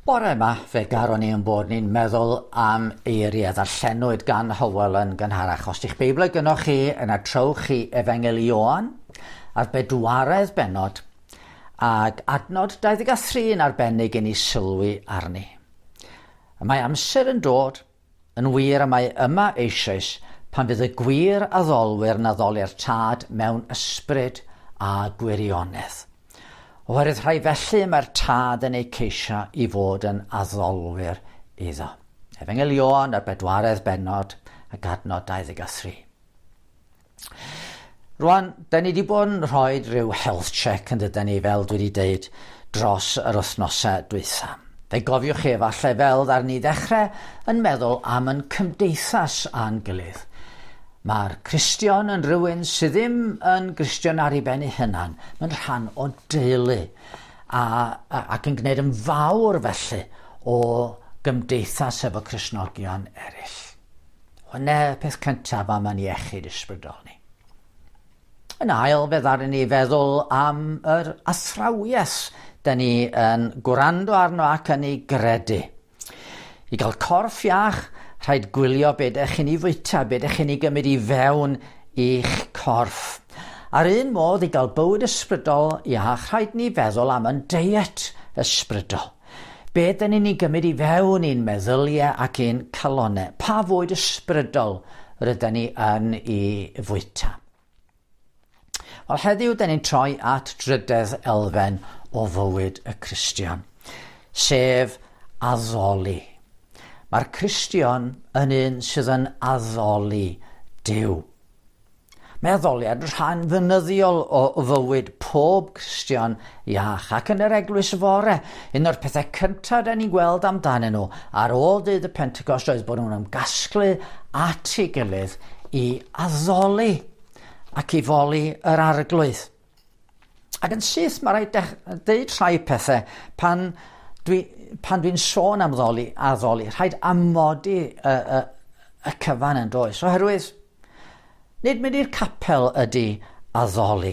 Bore yma, fe garon ni yn bod ni'n meddwl am eiriau ddarllenwyd gan Hywel yn gynharach. Os di'ch Beibl gynnwch chi, yna trowch chi Efengyl Ioan a'r bedwaredd bennod ac adnod 23 yn arbennig i ni sylwi arni. Y mae amser yn dod, yn wir y mae yma eisoes, pan fydd y gwir addolwyr yn addoli'r tad mewn ysbryd a gwirionedd. Oherwydd rhai felly mae'r tad yn eu ceisio i fod yn addolwyr iddo. Efengyl Ioan a'r bedwaredd bennod ac adnod 23. Rwan, da ni wedi bod yn rhoi rhyw health check yn dydyn ni, fel dwi wedi deud, dros yr wythnosau dwytha. Fe gofiwch chi efallai fel ddar ni ddechrau yn meddwl am yn cymdeithas a'n gilydd. Mae'r Cristion yn rhywun sydd ddim yn Gristion ar ei ben ei hunan. Mae'n rhan o deulu a, a, ac yn gwneud yn fawr felly o gymdeithas efo Cristnogion eraill. Hwna y peth cyntaf am yn iechyd ysbrydol ni. Yn ail, fe ddaru ni feddwl am yr athrawiaeth da ni yn gwrando arno ac yn ei gredu. I gael corff iach, rhaid gwylio be ydych chi'n ei fwyta, be ydych chi'n ei gymryd i fewn i'ch corff. A'r un modd i gael bywyd ysbrydol iach, rhaid ni feddwl am yn deiet ysbrydol. Be dyn ni'n ei gymryd i fewn i'n meddyliau ac i'n calonau? Pa fwyd ysbrydol rydyn ni yn ei fwyta? Wel, heddiw, dyn ni'n troi at drydedd elfen o fywyd y Cristion, sef addoli. Mae'r Cristion yn un sydd yn addoli Duw. Mae addoliad yn rhan fynyddiol o fywyd pob Cristion iach ac yn yr eglwys fore. Un o'r pethau cyntaf da ni'n gweld amdanyn nhw ar ôl dydd y Pentecost oedd bod nhw'n ymgasglu at ei gilydd i addoli ac i foli yr arglwydd. Ac yn syth mae rhaid deud rhai pethau pan dwi, pan dwi'n sôn am ddoli, addoli, rhaid amodi y, y, y cyfan yn does. Oherwydd Nid mynd i'r capel ydy addoli.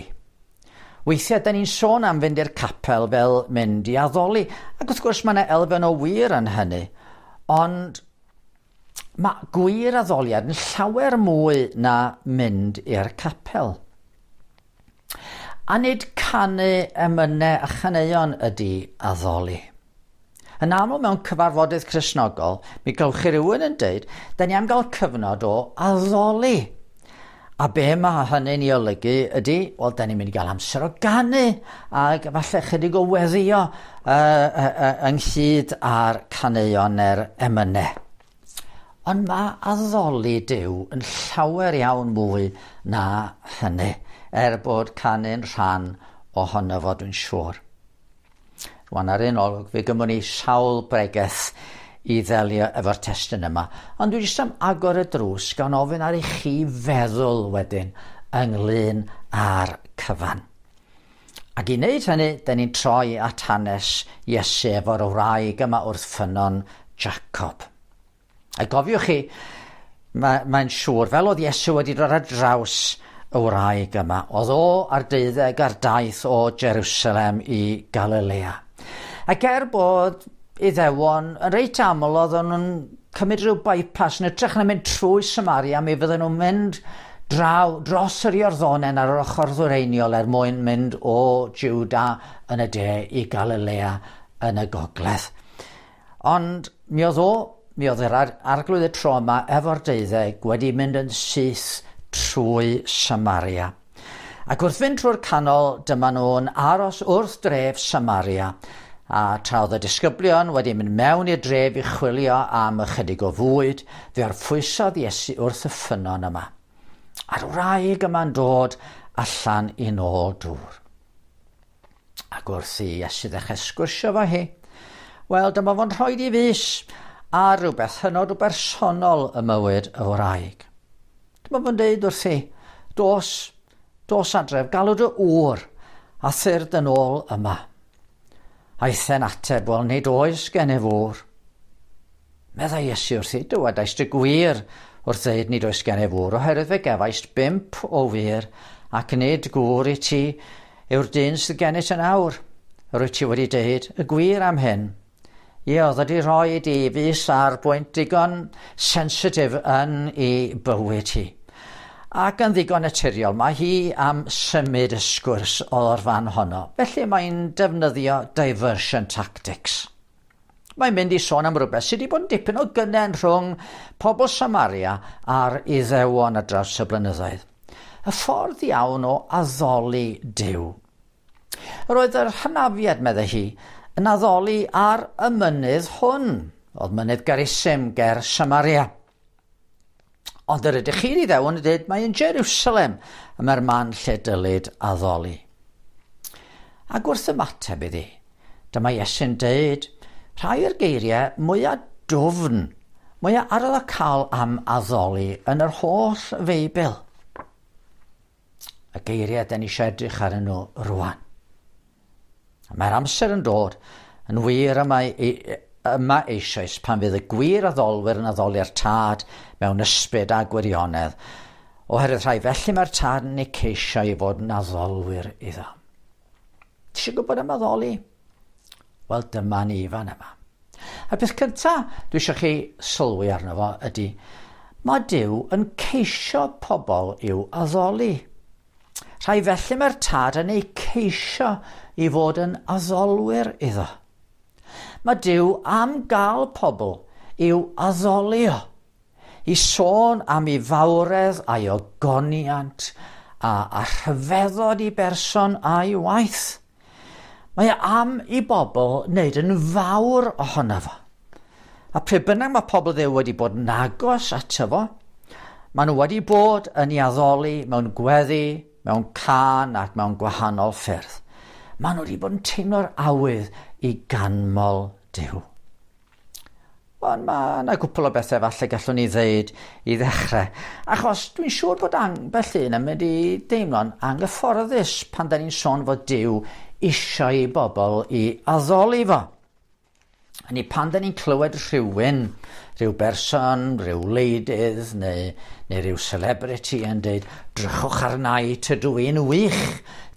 Weithiau, da ni'n sôn am fynd i'r capel fel mynd i addoli, ac wrth gwrs mae yna elfen o wir yn hynny, ond mae gwir addoliad yn llawer mwy na mynd i'r capel. A nid canu emynau a chaneuon ydy addoli. Yn aml mewn cyfarfodydd Cristnogol, mi gewch chi rhywun yn deud, da ni am gael cyfnod o addoli. A be mae hynny'n ei olygu ydy, wel, da ni'n mynd i gael amser o ganu ac falle chydig o weddio uh, uh, uh, ynghyd â'r caneuon neu'r emynau. Ond mae addoli Duw yn llawer iawn mwy na hynny, er bod canu'n rhan ohono fo, dwi'n siŵr. Rwan ar un olwg, fe gymwn ni sawl bregeth i ddelio efo'r testun yma, ond dwi jyst am agor y drws gan ofyn ar i chi feddwl wedyn ynglyn â'r cyfan. Ac i wneud hynny, da ni'n troi at hanes Iesu efo'r wraig yma wrth ffynnon Jacob. A gofiwch chi, mae'n mae siŵr, fel oedd Iesu wedi dod ar draws y wraig yma, oedd o ar deuddeg ar daith o Jerusalem i Galilea. Ac er bod Iddewon yn reit aml oedd nhw'n cymryd rhyw bypass yn ytrach na mynd trwy Samaria, mi fydden nhw'n mynd draw dros yr Iorddonen ar yr ochr ddwyreiniol er mwyn mynd o Juda yn y de i Galilea yn y gogledd. Ond mi oedd o, mi oedd yr arglwydd y tro yma efo'r deuddeg wedi mynd yn syth trwy Samaria. Ac wrth fynd trwy'r canol, dyma nhw'n aros wrth dref Samaria, a tra oedd y disgyblion wedi mynd mewn i'r dref i chwilio am ychydig o fwyd, fe orffwysodd Iesu wrth y ffynnon yma. A'r wraig yma'n dod allan i nôl dŵr. Ac wrth i Iesu ddechrau sgwrsio fo hi, wel, dyma fo'n rhoi i fus ar rhywbeth hynod o bersonol y mywyd y wraig. Dyma fo'n deud wrthi, dos, dos adref, galw dy ŵr, a thyrd yn ôl yma. Aeth e'n ateb, wel, nid oes gennyf ŵr. Meddai Iesu wrthi, dywedaist y gwir wrth ddeud nid oes gennyf ŵr, oherwydd fe gefaist bump o wir, ac nid gŵr i ti yw'r dyn sydd gennyt yn awr. Yr wyt ti wedi deud y gwir am hyn. Ie, oedd wedi rhoi i fus ar bwynt digon sensitif yn ei bywyd hi. Ac yn ddigon naturiol, mae hi am symud y sgwrs o'r fan honno. Felly mae'n defnyddio diversion tactics. Mae'n mynd i sôn am rhywbeth sydd wedi bod yn dipyn o gynnen rhwng pobl Samaria a'r Iddewon ar draws y blynyddoedd. Y ffordd iawn o addoli Duw. Yr oedd yr hynafiad, meddai hi, yn addoli ar y mynydd hwn. Oedd mynydd Garisim ger Samaria. Ond yr ydych chi'n Iddewon yn dweud mae yn Jerusalem y mae'r man lle dylid addoli. Ac wrth ymateb iddi, dyma Iesu'n deud rhai o'r geiriau mwyaf dwfn, mwyaf arwyddocaol am addoli yn yr holl Feibl. Y geiriau da ni eisiau edrych arnyn nhw rwan. Mae'r amser yn dod yn wir yma, yma eisoes pan fydd y gwir addolwyr yn addoli'r tad mewn ysbryd a gwirionedd, oherwydd rhai felly mae'r tad yn eu ceisio i fod yn addolwyr iddo. Ti eisiau gwybod am addoli? Wel, dyma ni fan yma. A'r peth cyntaf dwi eisiau chi sylwi arno fo ydy, mae Duw yn ceisio pobl i'w addoli. Rhai felly mae'r tad yn eu ceisio i fod yn addolwyr iddo. Mae Duw am gael pobl i'w addoli o, i sôn am ei fawredd a'i ogoniant a, a rhyfeddod i berson a'i waith. Mae e am i bobl wneud yn fawr ohono fo. A pryd bynnag mae pobl Dduw wedi bod yn agos ato fo, maen nhw wedi bod yn ei addoli mewn gweddi, mewn cân ac mewn gwahanol ffyrdd. Maen nhw wedi bod yn teimlo'r awydd i ganmol Duw. Ond mae yna gwpl o bethau falle gallwn ni ddeud i ddechrau. Achos dwi'n siŵr bod ambell un yn mynd i deimlo'n anghyfforddus pan da ni'n sôn fod Duw eisiau i bobl i addoli fo. Hynny pan da ni'n clywed rhywun, rhyw berson, rhyw wleidydd neu, neu rhyw celebrity yn dweud, drychwch arna i, tydw i'n wych,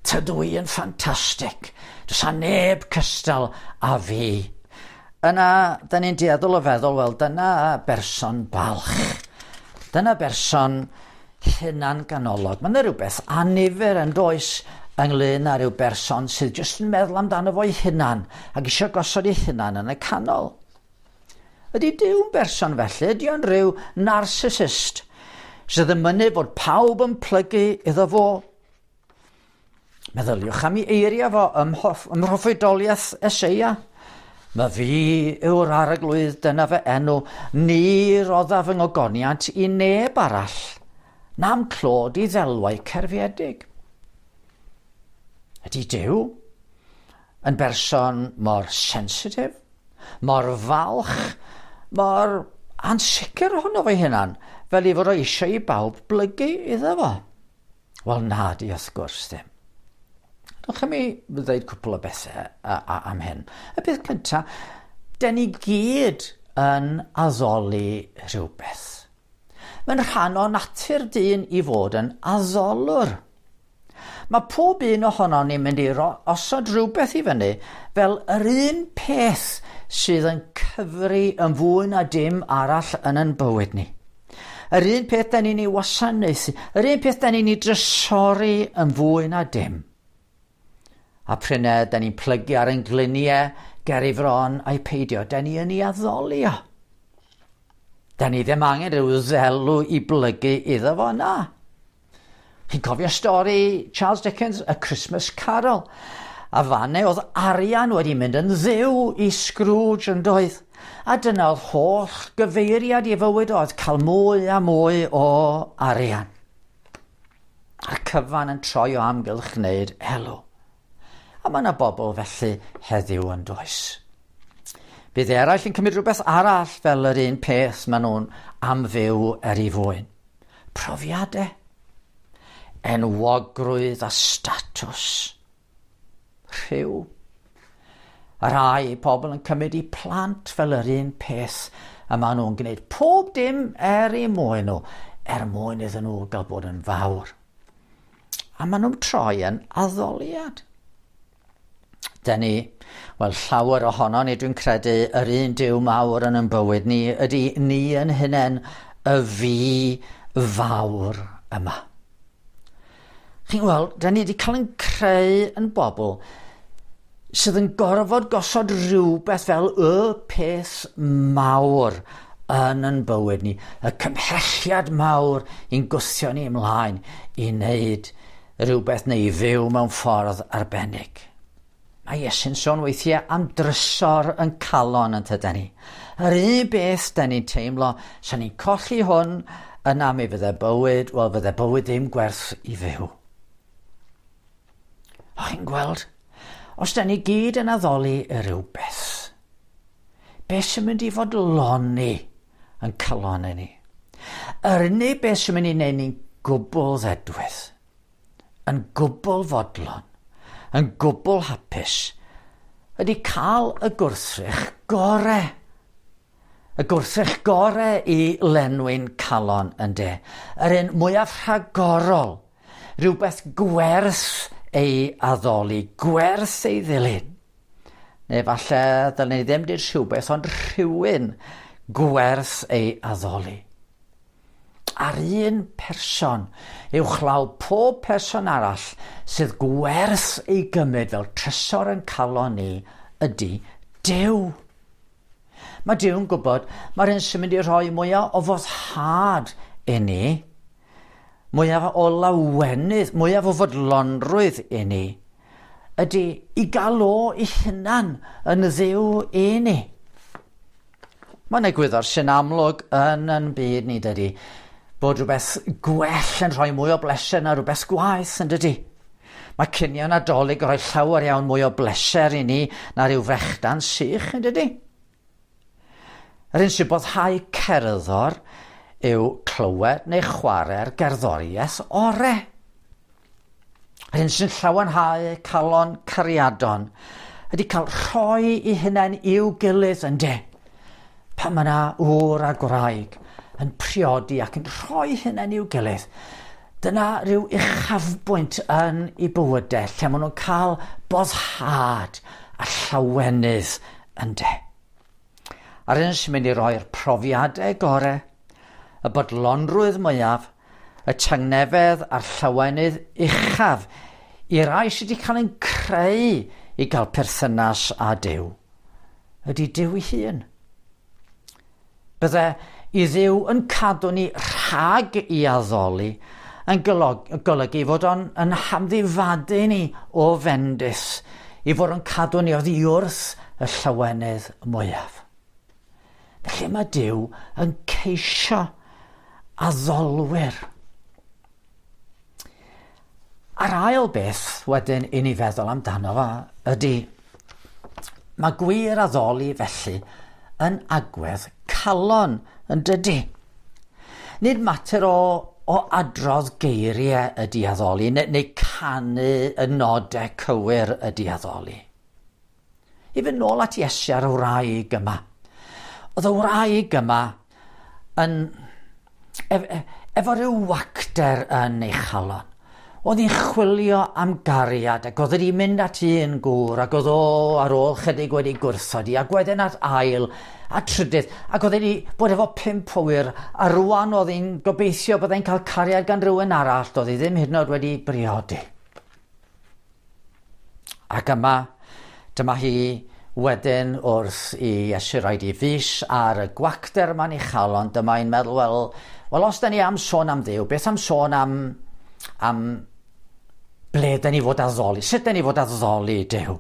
tydw i yn ffantastig, does 'na neb cystal a fi. Yna, da ni'n dueddol o feddwl, wel, dyna berson balch. Dyna berson hunan ganolog. Mae yna rhywbeth annifyr yn does ynglyn â rhyw berson sydd jyst yn meddwl amdano fo'i hunan ac eisiau gosod ei hunan yn y canol. Ydy Duw'n berson felly? Ydy o'n rhyw narcissist sydd yn mynnu bod pawb yn plygu iddo fo? Meddyliwch am ei eiriau fo ym mhroffwydoliaeth Eseia. Mae fi yw'r arglwydd, dyna fy enw, ni roddaf fy ngogoniant i neb arall, na'm clod i ddelwau cerfiedig. Ydy Duw yn berson mor sensitif, mor falch, mor ansicr ohono fo'i hunan, fel ei fod o eisiau i bawb blygu iddo fo? Wel na di wrth gwrs ddim. Dewch i mi ddweud cwpl o bethau am hyn. Y peth cyntaf, den ni gyd yn addoli rhywbeth. Mae'n rhan o natur dyn i fod yn addolwr. Mae pob un ohonon ni'n mynd i osod rhywbeth i fyny fel yr un peth sydd yn cyfri yn fwy na dim arall yn ein bywyd ni. Yr un peth da ni'n ei wasanaethu, yr un peth da ni'n ei drysori yn fwy na dim. A p'run da ni'n plygu ar ein gliniau ger ei fron a'i peidio, da ni yn ei addoli o. Da ni ddim angen rhyw ddelw i blygu iddo fo, na. Chi'n cofio stori Charles Dickens, A Christmas Carol? A fanne oedd arian wedi mynd yn dduw i Scrooge yn doedd. A dyna oedd holl gyfeiriad i fywyd oedd cael mwy a mwy o arian. A'r cyfan yn troi o amgylch wneud elw. A mae yna bobl felly heddiw yn does. Bydd eraill yn cymryd rhywbeth arall fel yr un peth maen nhw'n am fyw er ei fwyn. Profiadau, enwogrwydd a statws, rhyw. A rai pobl yn cymryd eu plant fel yr un peth a maen nhw'n gwneud pob dim er eu mwyn nhw, er mwyn iddyn nhw gael bod yn fawr. A maen nhw'n troi yn addoliad. Dyn ni, wel llawer ohono ni dwi'n credu, yr un Duw mawr yn ein bywyd ni ydy ni yn hunain y fi fawr yma. Chi'n gweld, dyn ni wedi cael ein creu yn bobl sydd yn gorfod gosod rhywbeth fel y peth mawr yn yn bywyd ni, y cymhelliad mawr i'n gwthio ni ymlaen i wneud rhywbeth neu i fyw mewn ffordd arbennig. Mae Iesu'n sôn weithiau am drysor yn calon yn tydan ni. Yr un beth da ni'n teimlo, sa ni'n colli hwn, yna mi fydde bywyd, wel fydde bywyd ddim gwerth i fyw. O, chi'n gweld? Os da ni gyd yn addoli y rhywbeth, beth sy'n mynd i fodloni yn calon ni? Yr unig beth sy'n mynd i wneud ni'n gwbl ddedwydd, yn gwbl fodlon, yn gwbl hapus, ydy cael y gwrthrych gore. Y gwrthrych gore i lenwi'n calon yn de. Yr un mwyaf rhagorol, rhywbeth gwerth ei addoli, gwerth ei ddilyn. Neu falle ddylen ni ddim dweud rhywbeth, ond rhywun gwerth ei addoli. A'r un person uwchlaw pob person arall sydd gwerth ei gymryd fel trysor yn calon ni ydy Duw. Mae Duw'n gwybod mae'r un sy'n mynd i rhoi mwyaf o foddhad i ni, mwyaf o lawenydd, mwyaf o fodlonrwydd i ni, ydy i gael o ei hunan yn Dduw i ni. Mae'n egwyddor sy'n amlwg yn yn byd ni, dydy, bod rhywbeth gwell yn rhoi mwy o bleser na rhywbeth gwaeth, yn dydy. Mae cinio Nadolig yn rhoi llawer iawn mwy o bleser i ni na rhyw frechdan sych, yn dydy. Yr un sy'n boddhau cerddor yw clywed neu chwarae'r gerddoriaeth ore. Yr un sy'n llawenhau calon cariadon ydy cael rhoi i hunain i'w gilydd, yn de. Pan mae yna ŵr a gwraig yn priodi ac yn rhoi hunain i'w gilydd, dyna rhyw uchafbwynt yn eu bywydau lle maen nhw'n cael boddhad a llawenydd yn de. A'r un sy'n mynd i roi'r profiadau gorau, y bodlonrwydd mwyaf, y tangnefedd a'r llawenydd uchaf i rai sydd wedi cael ein creu i gael perthynas â Duw, ydy Duw ei hun. Bydde i Dduw yn cadw ni rhag i addoli yn golygu fod o'n yn hamddifadu ni o fendith, i fod yn cadw ni oddi wrth y llawenydd mwyaf. Felly mae Duw yn ceisio addolwyr. A'r ail beth wedyn i ni feddwl amdano fo ydy, mae gwir addoli felly yn agwedd calon yn dydy. Nid mater o adrodd geiriau ydy addoli, neu canu y nodau cywir ydy addoli. I fynd nôl at Iesu a'r wraig yma. Oedd y wraig yma yn efo rhyw wacter yn ei chalon. Oedd hi'n chwilio am gariad ac oedd wedi mynd at un gŵr ac oedd o ar ôl chydig wedi gwrthod hi ac wedyn at ail a trydydd ac oedd wedi bod efo 5 o wŷr a rwan oedd hi'n gobeithio byddai'n cael cariad gan rhywun arall, doedd hi ddim hyd yn oed wedi briodi. Ac yma, dyma hi wedyn wrth i Iesu roid ei fys ar y gwacter yma'n ei chalon, dyma hi'n meddwl, wel os da ni am sôn am Dduw, beth am sôn am ble da ni fod addoli, sut da ni fod addoli Duw?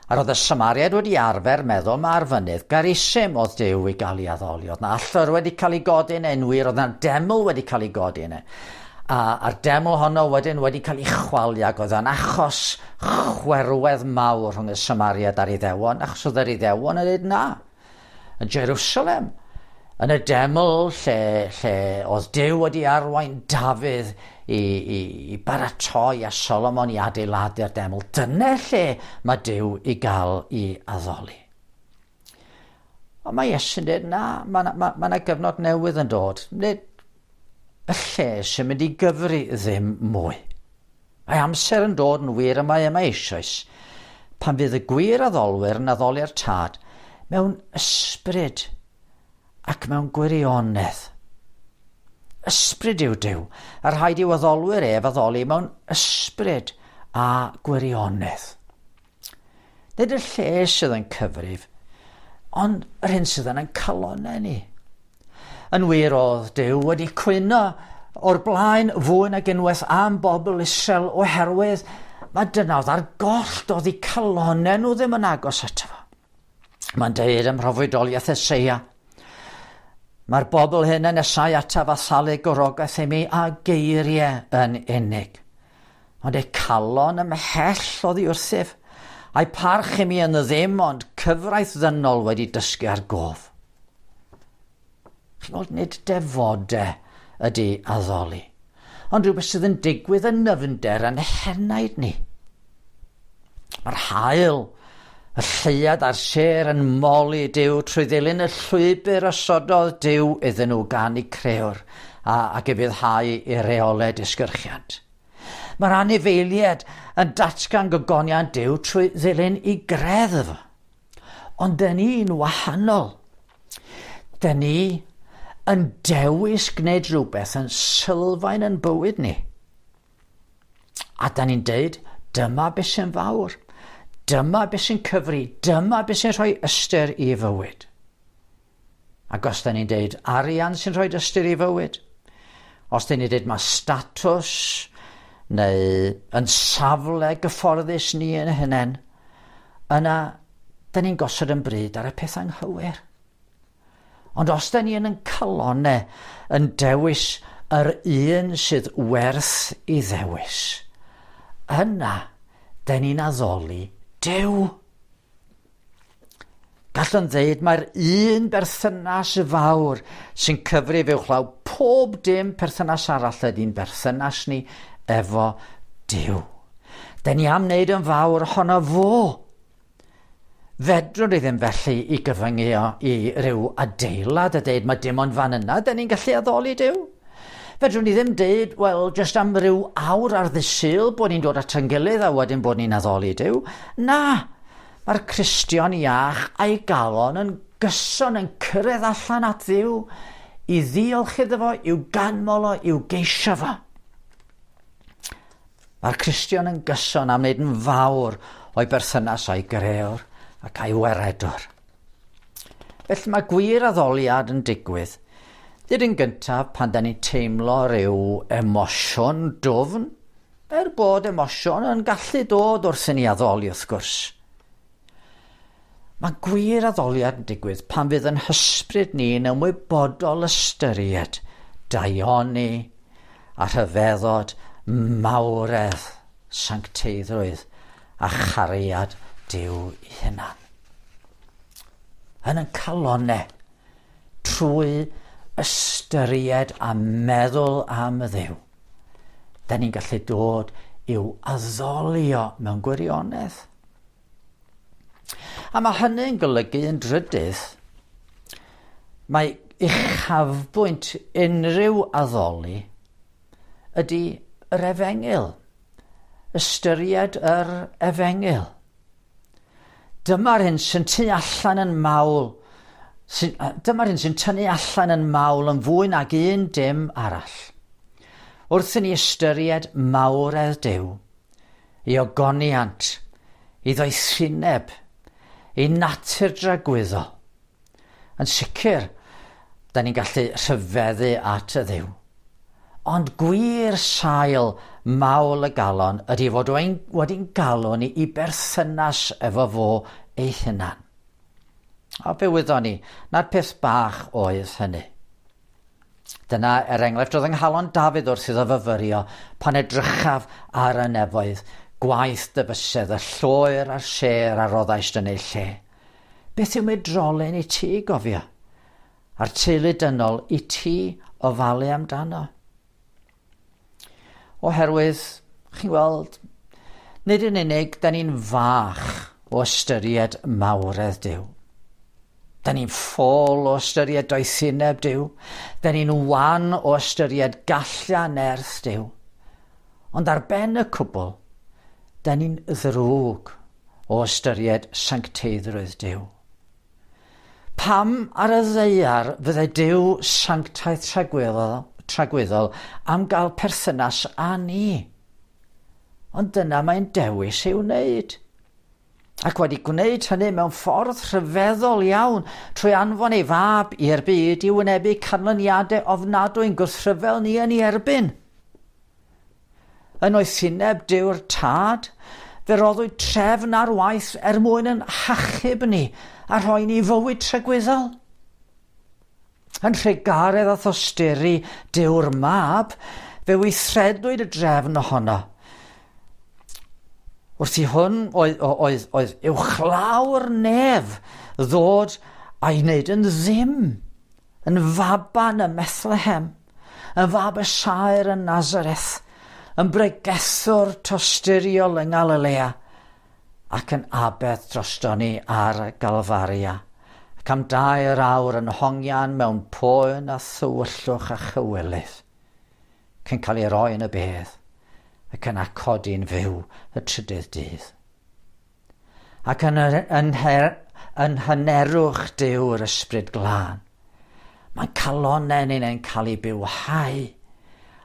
A roedd y Samariaid wedi arfer meddwl mae'r fynydd Garisim oedd Duw i gael ei addoli. Oedd na allor wedi cael ei godi yn enwi, roedd na deml wedi cael ei godi yna. A'r deml honno wedyn wedi cael ei chwalu ac oedd yn achos chwerwedd mawr rhwng y Samariaid a'r Iddewon, achos oedd yr Iddewon yn dweud na. Yn Jerusalem, yn y deml lle oedd Duw wedi arwain Dafydd i baratoi a Solomon i adeiladu'r deml, dyna lle mae Duw i gael ei addoli. Ond mae Iesu'n dweud, na, mae 'na gyfnod newydd yn dod. Nid y lle sy'n mynd i gyfri ddim mwy. Mae amser yn dod yn wir y mae yma eisoes. pan fydd y gwir addolwyr yn addoli'r Tad mewn ysbryd ac mewn gwirionedd. Ysbryd yw Duw, a rhaid i'w addolwyr ef addoli mewn ysbryd a gwirionedd. Nid y lle sydd yn cyfrif, ond yr hyn sydd yn ein calonnau ni. Yn wir oedd Duw wedi cwyno o'r blaen fwy nag unwaith am bobl Israel oherwydd mae dyna oedd ar goll, doedd eu calonnau nhw ddim yn agos ato fo. Mae'n deud ym mhroffwydoliaeth Eseia, mae'r bobl hyn yn nesau ataf a thalu gorogaeth i mi a geiriau yn unig. Ond eu calon ymhell oddi wrthyf, a'i parch i mi yn y ddim ond cyfraith ddynol wedi dysgu ar gof. Chi'n gweld, nid defodau ydy addoli, ond rhywbeth sydd yn digwydd yn nyfnder yn henaid ni. Mae'r haul, y lleuad a'r sêr yn moli Duw trwy ddilyn y llwybr osododd Duw iddyn nhw gan eu crëwr ac ufuddhau i reolau disgyrchiant. Mae'r anifeiliaid yn datgan gogoniant Duw trwy ddilyn ei greddf. Ond dyn ni'n wahanol. Dyn ni yn dewis gwneud rhywbeth yn sylfaen yn bywyd ni. A da ni'n deud, dyma beth sy'n fawr. Dyma beth sy'n cyfri. Dyma beth sy'n rhoi ystyr i fywyd. Ac os da ni'n deud arian sy'n rhoi ystyr i fywyd, os da ni'n deud mae statws neu yn safle gyfforddus ni yn hunain, yna da ni'n gosod yn bryd ar y peth anghywir. Ond os da ni yn ein calonnau yn dewis yr un sydd werth i ddewis, yna da ni'n addoli Duw. Gallwn ddeud mae'r un berthynas fawr sy'n cyfrif uwchlaw pob dim perthynas arall ydy'n berthynas ni efo Duw. Da ni am wneud yn fawr ohono fo. Fedrwn ni ddim felly i gyfyngu o i ryw adeilad a deud mae dim ond fan yna da ni'n gallu addoli Duw. Fedrwn ni ddim deud, wel, jyst am ryw awr ar ddydd Sul bod ni'n dod at ein gilydd a wedyn bod ni'n addoli Duw. Na, mae'r Cristion iach a'i galon yn gyson yn cyrraedd allan at Dduw i ddiolch iddo fo, i'w ganmol o, i'w geisio fo. Mae'r Cristion yn gyson am wneud yn fawr o'i berthynas a'i grëwr ac a'i waredwr. Felly mae gwir addoliad yn digwydd. Nid yn gyntaf pan da ni'n teimlo rhyw emosiwn dwfn, er bod emosiwn yn gallu dod wrth i ni addoli wrth gwrs. Mae gwir addoliad yn digwydd pan fydd yn hysbryd ni'n ymwybodol ystyried daioni a rhyfeddod mawredd, sancteiddrwydd a chariad Duw ei hunan. Yn ein calonnau, trwy ystyried a meddwl am y Dduw, da ni'n gallu dod i'w addolio mewn gwirionedd. A mae hynny'n golygu yn drydydd, mae uchafbwynt unrhyw addoli ydy yr efengyl. Ystyried yr efengyl. Dyma'r hyn sy'n tu allan yn mawl, dyma'r hyn sy'n tynnu allan yn mawl yn fwy nag un dim arall. Wrth i ni ystyried mawredd Duw, ei ogoniant, ei ddoethineb, ei natur dragwyddol, yn sicr, da ni'n gallu rhyfeddu at y Dduw. Ond gwir sail mawl y galon ydy fod wedi'n galw ni i berthynas efo fo ei hunan. A fe wyddon ni na'r peth bach oedd hynny. Dyna, er enghraifft, oedd yng nghalon Dafydd wrth iddo fyfyrio pan edrychaf ar y nefoedd, gwaith dy bysedd, y lloer a'r sêr a roddaist yn ei lle. Beth yw medrolyn i ti, gofio? A'r teulu dynol i ti ofalu amdano? Oherwydd, chi'n gweld, nid yn unig, da ni'n fach o ystyried mawredd Duw. Da ni'n ffôl o ystyried doethineb Duw. Da ni'n wan o ystyried gallu a nerth Duw. Ond ar ben y cwbl, da ni'n ddrwg o ystyried sancteiddrwydd Duw. Pam ar y ddaear fydde Duw sanctaidd tragwyddol am gael perthynas â ni? Ond dyna mae'n dewis ei wneud. Ac wedi gwneud hynny mewn ffordd rhyfeddol iawn trwy anfon ei fab i'r byd i wynebu canlyniadau ofnadwy'n gwrthryfel ni yn ei erbyn. Yn oethineb Duw'r Tad, fe roddwyd trefn ar waith er mwyn yn hachub ni a rhoi ni fywyd tragwyddol. Yn rhegaredd a thosturi Duw'r Mab, fe weithredwyd y drefn ohono. Wrth i hwn oedd uwchlaw'r nef ddod a'i wneud yn ddim, yn faban ym Methlehem, yn fab y saer yn Nazareth, yn bregethwr tosturiol yng Nghalilea, ac yn aberth drosto ni ar Galfaria, ac am 3 awr yn hongian mewn poen a thywyllwch a chywilydd, cyn cael ei roi yn y bedd, ac yna codi'n fyw y trydydd dydd. Ac yn hynerwch Duw'r Ysbryd Glân, mae'n calonnau ni'n cael ei bywhau,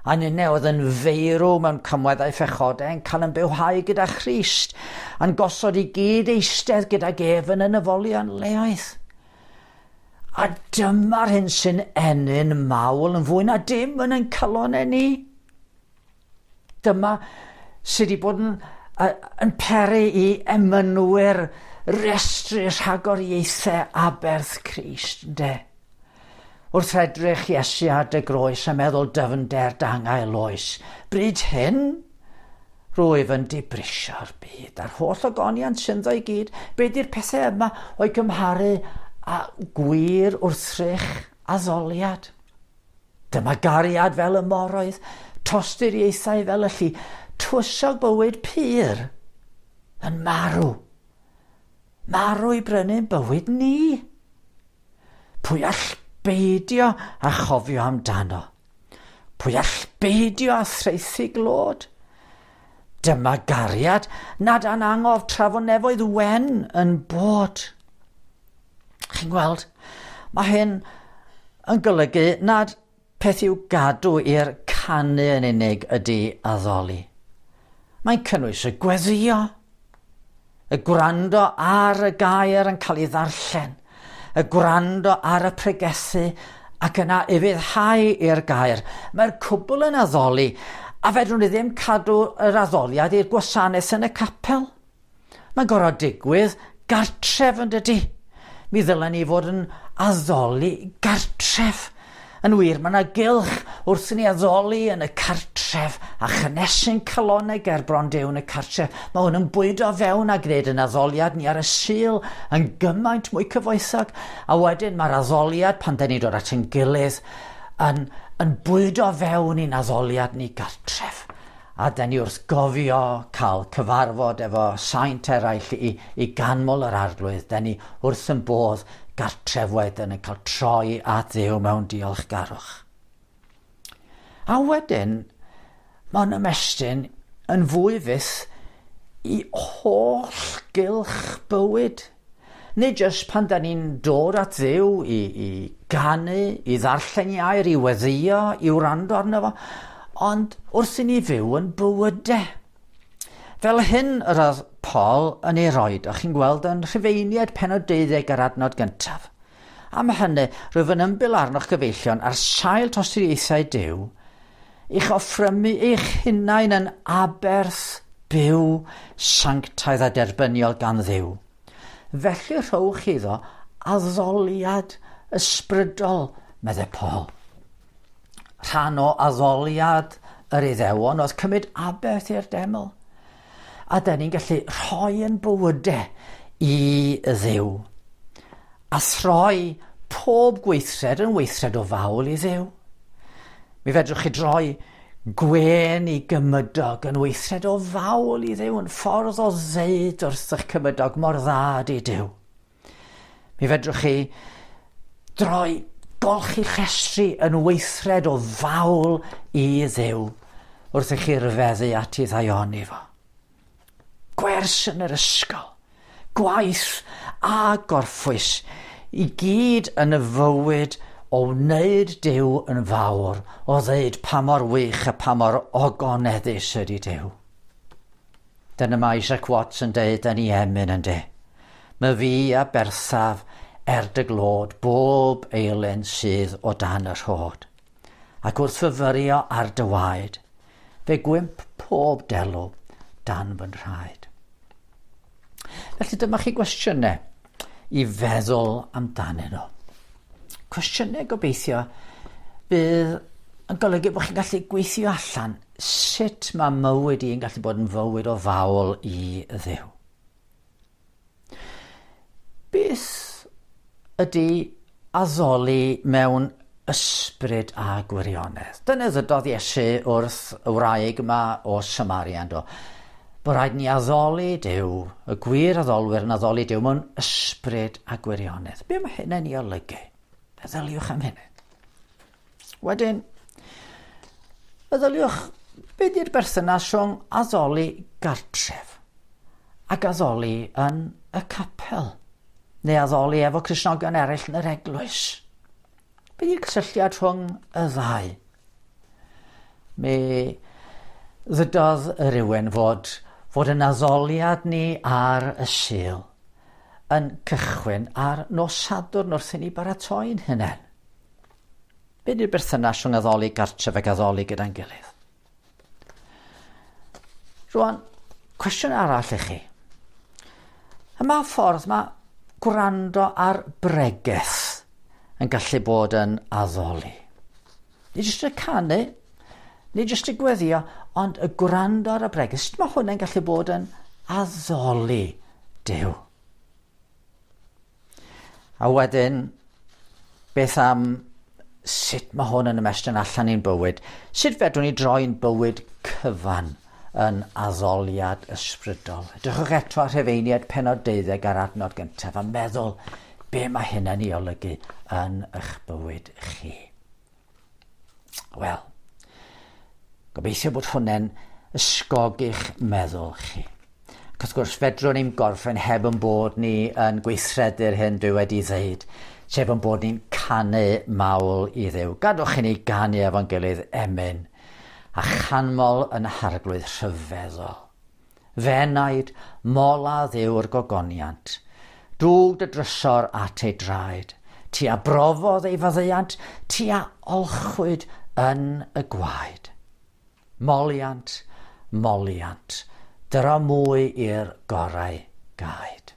a ninne oedd yn feirw mewn cymweddau phechodau yn cael yn bywhau gyda Christ, a'n gosod i gyd eistedd gydag ef yn y nefolion leoedd. A dyma'r hyn sy'n ennyn mawl yn fwy na dim yn ein calonnau ni. Dyma sydd wedi bod yn peri i emynwyr restru rhagoriaethau aberth Crist, ynde? Wrth edrych Iesu ar dy groes a meddwl dyfnder dangael oes, bryd hyn, rwyf yn dibrisio'r byd a'r holl ogoniant synddo i gyd. Be di'r pethau yma o'i gymharu â gwir wrthrych addoliad? Dyma gariad fel y moroedd, tosturiaethau fel y lli, tywysog bywyd pur yn marw. Marw i brynu'n bywyd ni. Pwy all beidio a chofio amdano? Pwy all beidio a thraethu glod? Dyma gariad nad anangof tra fo nefoedd wen yn bod. Chi'n gweld, mae hyn yn golygu nad peth i'w gadw i'r canu yn unig ydy addoli. Mae'n cynnwys y gweddio, y gwrando ar y gair yn cael ei ddarllen, y gwrando ar y pregethu ac yna ufuddhau i'r gair. Mae'r cwbl yn addoli, a fedrwn ni ddim cadw yr addoliad i'r gwasanaeth yn y capel. Mae'n gorfod digwydd gartref yn dydy. Mi ddylen ni fod yn addoli gartref. Yn wir, mae yna gylch wrth i ni addoli yn y cartref a chynnesu'n calonnau ger bron Duw yn y cartref. Mae hwn yn bwydo fewn a gwneud yn addoliad ni ar y Sul yn gymaint mwy cyfoethog. A wedyn mae'r addoliad pan dan ni'n dod at ein gilydd yn bwydo fewn i'n addoliad ni gartref. A dan ni wrth gofio cael cyfarfod efo saint eraill i ganmol yr Arglwydd. Dan ni wrth yn bodd gartref wedyn yn cael troi at Dduw mewn diolchgarwch. A wedyn, mae'n ymestyn yn fwy fyth i holl gylch bywyd. Nid jyst pan da ni'n dod at Dduw i ganu, i ddarllen ei air, i weddïo, i wrando arno fo, ond wrth i ni fyw yn bywydau. Fel hyn yr oedd Paul yn ei roed, o'ch chi'n gweld yn Rhufeiniaid pennod 12 ar adnod gyntaf. Am hynny, rwyf yn ymbil arnoch gyfeillion ar sail tosturiaethau Duw, i'ch offrymu eich hunain yn aberth byw, sanctaidd a derbyniol gan Dduw. Felly rhowch iddo addoliad ysbrydol, meddai Paul. Rhan o addoliad yr Iddewon oedd cymryd aberth i'r deml. A da ni'n gallu rhoi yn bywydau i Dduw. A throi pob gweithred yn weithred o fawl i Dduw. Mi fedrwch chi droi gwên i gymydog yn weithred o fawl i Dduw, yn ffordd o ddeud wrth eich cymydog mor dda ydi Duw. Mi fedrwch chi droi golchi llestri yn weithred o fawl i Dduw wrth i chi ryfeddu at ei ddaioni fo. Gwers yn yr ysgol. Gwaith a gorffwys i gyd yn y fywyd o wneud Duw yn fawr, o ddeud pa mor wych a pa mor ogoneddus ydy Duw. Dyna mae Isaac Watts yn deud yn ei emyn yn de. Mae fi a berthaf er dy glod bob eilen sydd o dan y rhod. Ac wrth fyfyrio ar dy waed, fe gwymp pob delw dan fy nhraed. Felly dyma chi gwestiynau i feddwl amdanyn nhw. Cwestiynau gobeithio bydd yn golygu bod chi'n gallu gweithio allan sut mae mywyd i'n gallu bod yn fywyd o fawl i Dduw. Beth ydy addoli mewn ysbryd a gwirionedd? Dyna ddydodd Iesu wrth y wraig yma o Samaria, yndo? Bod rhaid ni addoli Duw, y gwir addolwyr yn addoli Duw mewn ysbryd a gwirionedd. Be mae hynny'n ei olygu? Meddyliwch am hynny. Wedyn, meddyliwch be di'r berthynas rhwng addoli gartref ac addoli yn y capel, neu addoli efo Cristnogion eraill yn yr eglwys. Be di'r cysylltiad rhwng y ddau? Mi ddydodd rhywun fod, fod yn addoliad ni ar y Sul yn cychwyn ar nos Sadwrn wrth i ni baratoi'n hunain. Be di'r berthynas rhwng addoli gartref ac addoli gyda'n gilydd? Rwan, cwestiwn arall i chi. Yma ffordd mae gwrando ar bregeth yn gallu bod yn addoli. Nid jyst y canu, nid jyst y gweddio, ond y gwrando ar y bregeth. Sut mae hwnna'n gallu bod yn addoli Duw? A wedyn, beth am sut mae hwn yn ymestyn allan i'n bywyd? Sut fedrwn ni droi'n bywyd cyfan yn addoliad ysbrydol? Edrychwch eto ar Rhufeiniaid pennod 12 ar adnod gyntaf a meddwl be mae hynny'n ei olygu yn eich bywyd chi. Wel, gobeithio bod hwnna'n ysgogi'ch meddwl chi. Ac wrth gwrs, fedrwn ni'n gorffen heb yn bod ni yn gweithredu'r hyn dwi wedi ddeud, sef yn bod ni'n canu mawl i Dduw. Gadwch i ni ganu efo'n gilydd emyn a chanmol yn harglwydd rhyfeddol. Fenaid, mola Dduw'r gogoniant, dwg dy drysor at ei draed, ti a brofodd ei faddeuant, ti a olchwyd yn y gwaed. Moliant, moliant, dyro mwy i'r gorau gaed.